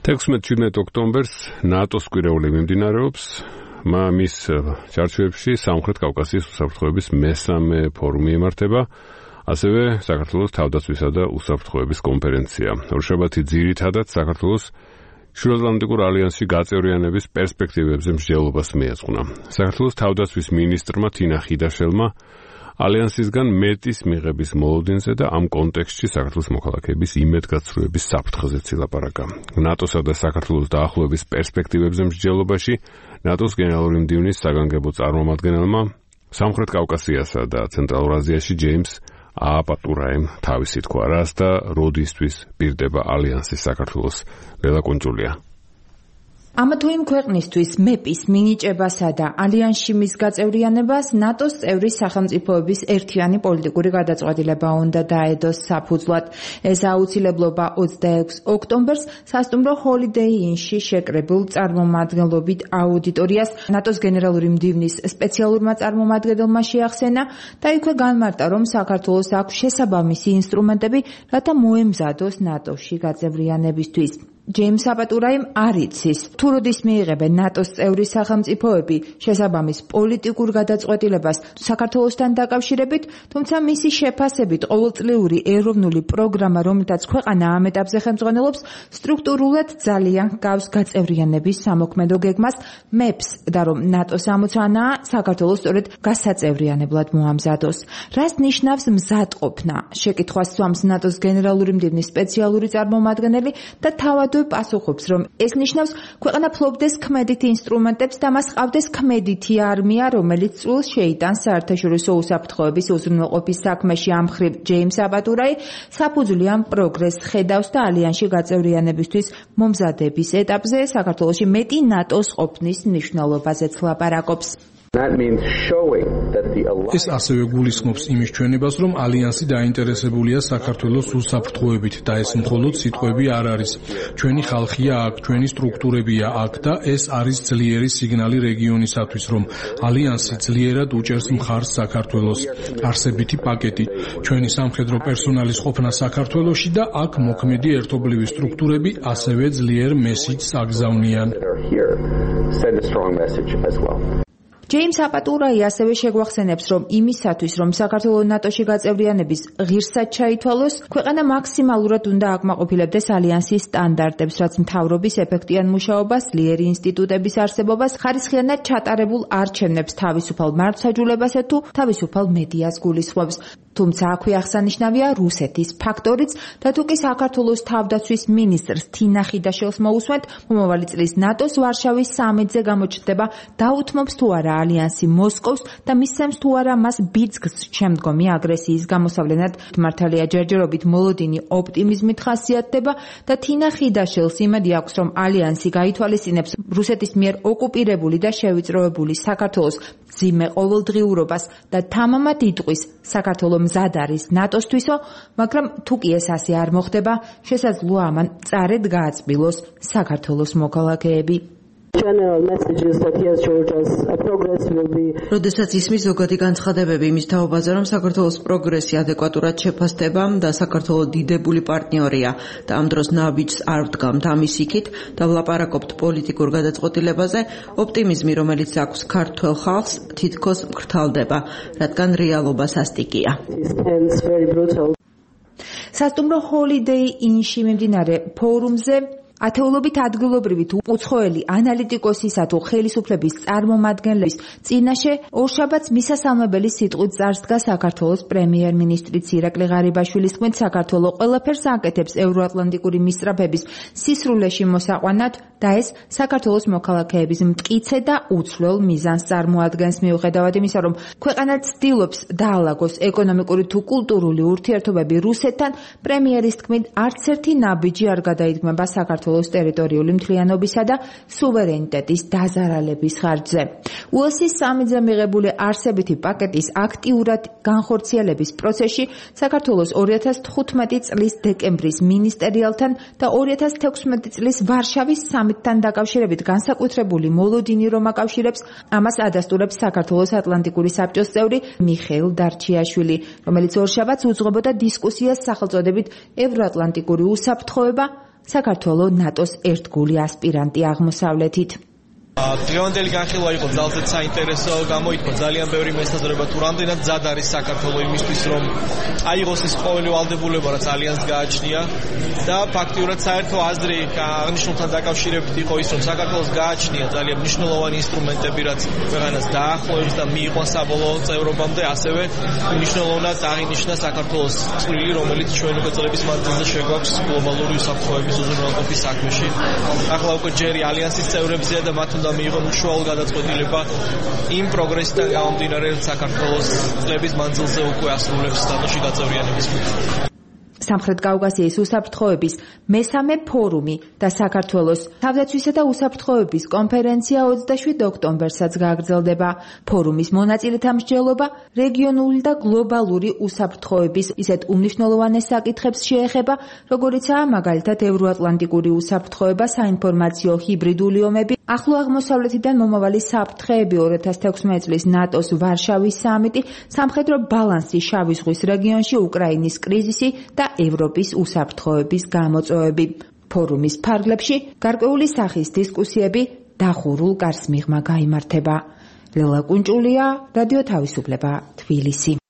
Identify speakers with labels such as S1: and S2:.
S1: 16-17 ოქტომბერს ნატოს კვირეული მიმდინარეობს. მის ჩარჩოებში სამხრეთ კავკასიის უსაფრთხოების მესამე ფორუმი იმართება, ასევე საქართველოს თავდაცვისა და უსაფრთხოების კონფერენცია. ორშაბათი ძირითადად საქართველოს შუაატლანტიკურ ალიანსში გაწევრიანების პერსპექტივებზე მსჯელობას მიეძღვნა. საქართველოს თავდაცვის მინისტრმა თინა ხიდაშელმა ალიანსისგან მეტის მიღების მოლოდინზე და ამ კონტექსტში საქართველოს მოქალაქეების იმედგაცრუების საფრთხეზეც ილაპარაკა. ნატოსა და საქართველოს დაახლოების პერსპექტივებზე მსჯელობაში ნატოს გენერალური მდივნის საგანგებო წარმომადგენელმა სამხრეთ კავკასიასა და ცენტრალურ აზიაში ჯეიმს ააპატურაიმ თავისი თქვა, რას და როდისთვის პირდება ალიანსის საქართველოს. ლელა კუნჭულია.
S2: ამა თუ იმ ქვეყნისთვის მეპის მინიჭებასა და ალიანსში მის გაწევრიანებას ნატოს წევრი სახელმწიფოების ერთიანი პოლიტიკური გადაწყვეტილება უნდა დაედოს საფუძვლად. ეს აუცილებლობა 26 ოქტომბერს სასტუმრო ჰოლიდეი ინში შეკრებულ წარმომადგენლობით აუდიტორიას ნატოს გენერალური მდივნის სპეციალურმა წარმომადგენელმა შეახსენა და იქვე განმარტა, რომ საქართველოს აქვს შესაბამისი ინსტრუმენტები, რათა მოემზადოს ნატოში გაწევრიანებისთვის. ჯეიმს აპატურაიმ არ იცის, თუ როდის მიიღებენ ნატოს წევრი სახელმწიფოები შესაბამის პოლიტიკურ გადაწყვეტილებას საქართველოსთან დაკავშირებით, თუმცა მისი შეფასებით ყოველწლიური ეროვნული პროგრამა, რომელთაც ქვეყანა ამ ეტაპზე ხელმძღვანელობს, სტრუქტურულად ძალიან ჰგავს გაწევრიანების სამოქმედო გეგმას მეპს და რომ ნატოს ამოცანაა საქართველოს სწორედ გასაწევრიანებლად მოამზადოს. რას ნიშნავს მზადყოფნა? შეკითხვას სვამს ნატოს გენერალური მდივნის სპეციალური წარმომადგენელი და თავად პასუხობს, რომ ეს ნიშნავს ქვეყანა ფლობდეს ქმედით ინსტრუმენტებს და მას ყავდეს ქმედითი არმია, რომელიც წულს შეიტანს საერთაშორისო უსაფრთხოების უზრუნველყოფის საქმეში. ამ მხრივ ჯეიმს აპატურაი საფუძვლი ამ პროგრესს ხედავს და ალიანსში გაწევრიანებისთვის მომზადების ეტაპზე საქართველოში მეტი ნატოს ყოფნის მნიშვნელობაზეც ლაპარაკობს.
S3: ეს ასევე გულისხმობს იმის ჩვენებას, რომ ალიანსი დაინტერესებულია საქართველოს უსაფრთხოებით და ეს მხოლოდ სიტყვები არ არის. ჩვენი ხალხია აქ, ჩვენი სტრუქტურებია აქ და ეს არის ძლიერი სიგნალი რეგიონისათვის, რომ ალიანსი ძლიერად უჭერს მხარს საქართველოს. არსებითი პაკეტი, ჩვენი სამხედრო პერსონალის ყოფნა საქართველოში და აქ მოქმედი ერთობლივი სტრუქტურები ასევე ძლიერ მესიჯს აგზავნიან.
S2: ჯეიმს აპატურაი ასევე შეგვახსენებს, რომ იმისათვის, რომ საქართველოს ნატოში გაწევრიანების ღირსად ჩაითვალოს, ქვეყანა მაქსიმალურად უნდა აკმაყოფილებდეს ალიანსის სტანდარტებს, რაც მთავრობის ეფექტიან მუშაობას, ძლიერი ინსტიტუტების არსებობას, ხარისხიანად ჩატარებულ არჩევნებს, თავისუფალ მართლმსაჯულებასა თუ თავისუფალ მედიას გულისხმობს. თუმცა აქვე აღსანიშნავია რუსეთის ფაქტორიც და თუ კი საქართველოს თავდაცვის მინისტრს თინა ხიდაშელს მოусვენთ, მომავალი წლის ნატოს ვარშავის სამიტზე გამოჩნდება დაუთმობს თუ არა ალიანსი მოსკოვს და მისცემს თუ არა მას ბიძგს შემდგომი აგრესიის გამოსავლენად. მართალია ჯერჯერობით მოლოდინი ოპტიმიზმით ხასიათდება და თინა ხიდაშელს იმედი აქვს, რომ ალიანსი გაითვალისწინებს რუსეთის მიერ ოკუპირებული და შევიწროებული საქართველოს მძიმე ყოველდღიურობას და თამამად იტყვის საქართველოს მზად არის ნატოსთვისო, მაგრამ თუ კი ეს ასე არ მოხდება, შესაძლოა ამან მწარედ გააწმილოს საქართველოს მოქალაქეები.
S4: როდესაც ისმის ზოგადი განცხადებები იმის თაობაზე, რომ საქართველოს პროგრესი ადეკვატურად შეფასდება და საქართველოს დიდებული პარტნიორია და ამ დროს ნაბიჯს არ ვდგამთ ამის იქით და ვლაპარაკობთ პოლიტიკურ გადაწყვეტილებაზე, ოპტიმიზმი, რომელიც აქვს ქართველ ხალხს, თითქოს მკრთალდება, რადგან რეალობა სასტიკია.
S2: სასტუმრო ჰოლიდეი ინში მიმდინარე ფორუმზე ათეულობით ადგილობრივი თუ უცხოელი ანალიტიკოსისა თუ ხელისუფლების წარმომადგენლების წინაშე ორშაბათს მისასალმებელი სიტყვით წარსდგა საქართველოს პრემიერ-მინისტრიც ირაკლი ღარიბაშვილის თქმით, საქართველოს ყველაფერს აკეთებს ევროატლანტიკური მისწრაფების სისრულეში მოსაყვანად და ეს საქართველოს მოქალაქეების მტკიცე და უცვლელ მიზანს წარმოადგენს. მიუხედავად იმისა, რომ ქვეყანა ცდილობს დაალაგოს ეკონომიკური თუ კულტურული ურთიერთობები რუსეთთან, პრემიერის თქმით, არც ერთი ნაბიჯი არ გადაიდგმება საქართველოს ტერიტორიული მთლიანობისა და სუვერენიტეტის დაზარალების ხარჯზე. უელსის სამიტზე მიღებული არსებითი პაკეტის აქტიურად განხორციელების პროცესში საქართველოს 2015 წლის დეკემბრის მინისტერიალთან და 2016 წლის ვარშავის სამიტთან დაკავშირებით განსაკუთრებული მოლოდინი რომ აკავშირებს, ამას ადასტურებს საქართველოს ატლანტიკური საბჭოს წევრი მიხეილ დარჩიაშვილი, რომელიც ორშაბათს უძღვებოდა დისკუსიას სახელწოდებით ევროატლანტიკური უსაფრთხოება, საქართველოს ნატოს ერთგული ასპირანტი აღმოსავლეთით.
S5: დღევანდელი განხილვა იყო ძალზედ საინტერესო, გამოითქვა ძალიან ბევრი მესაზრება თუ რამდენად მზად არის საქართველოს იმისთვის, რომ აიღოს ის ყოველი ვალდებულება, რაც ალიანსს გააჩნია და ფაქტიურად საერთო აზრი აღნიშნულთან დაკავშირებით იყო ის, რომ საქართველოს გააჩნია ძალიან მნიშვნელოვანი ინსტრუმენტები, რაც ქვეყანას დაახლოებს და მიიყვანს საბოლოო წევრობამდე, ასევე მნიშვნელოვნად აღინიშნა საქართველოს წვლილი, რომელიც ჩვენ უკვე წლების მანძილზე შეგვაქვს გლობალური უსაფრთხოების უზრუნველყოფის საქმეში. ახლა უკვე ჯერი ალიანსის წევრებზეა და მათ უნდა მიიღონ უშუალო გადაწყვეტილება იმ პროგრესიდან გამომდინარე, რომ საქართველოს წლების მანძილზე უკვე ასრულებს ნატოში გაწევრიანების მიზნებს.
S2: სამხრეთ კავკასიის უსაფრთხოების მესამე ფორუმი და საქართველოს თავდაცვისა და უსაფრთხოების კონფერენცია 27 ოქტომბერსაც გააგრძელდება. ფორუმის მონაწილეთა მსჯელობა რეგიონული და გლობალური უსაფრთხოების ისეთ უმნიშვნელოვანეს საკითხებს შეეხება, როგორიცაა მაგალითად ევროატლანტიკური უსაფრთხოება, საინფორმაციო ჰიბრიდული ომები, ახლო აღმოსავლეთიდან მომავალი საფრთხეები, 2016 წლის ნატოს ვარშავის სამიტი, სამხედრო ბალანსი შავი ზღვის რეგიონში, უკრაინის კრიზისი და ევროპის უსაფრთხოების გამოწვევები. ფორუმის ფარგლებში გარკვეული სახის დისკუსიები დახურულ კარს მიღმა გაიმართება. ლელა კუნჭულია, რადიო თავისუფლება, თბილისი.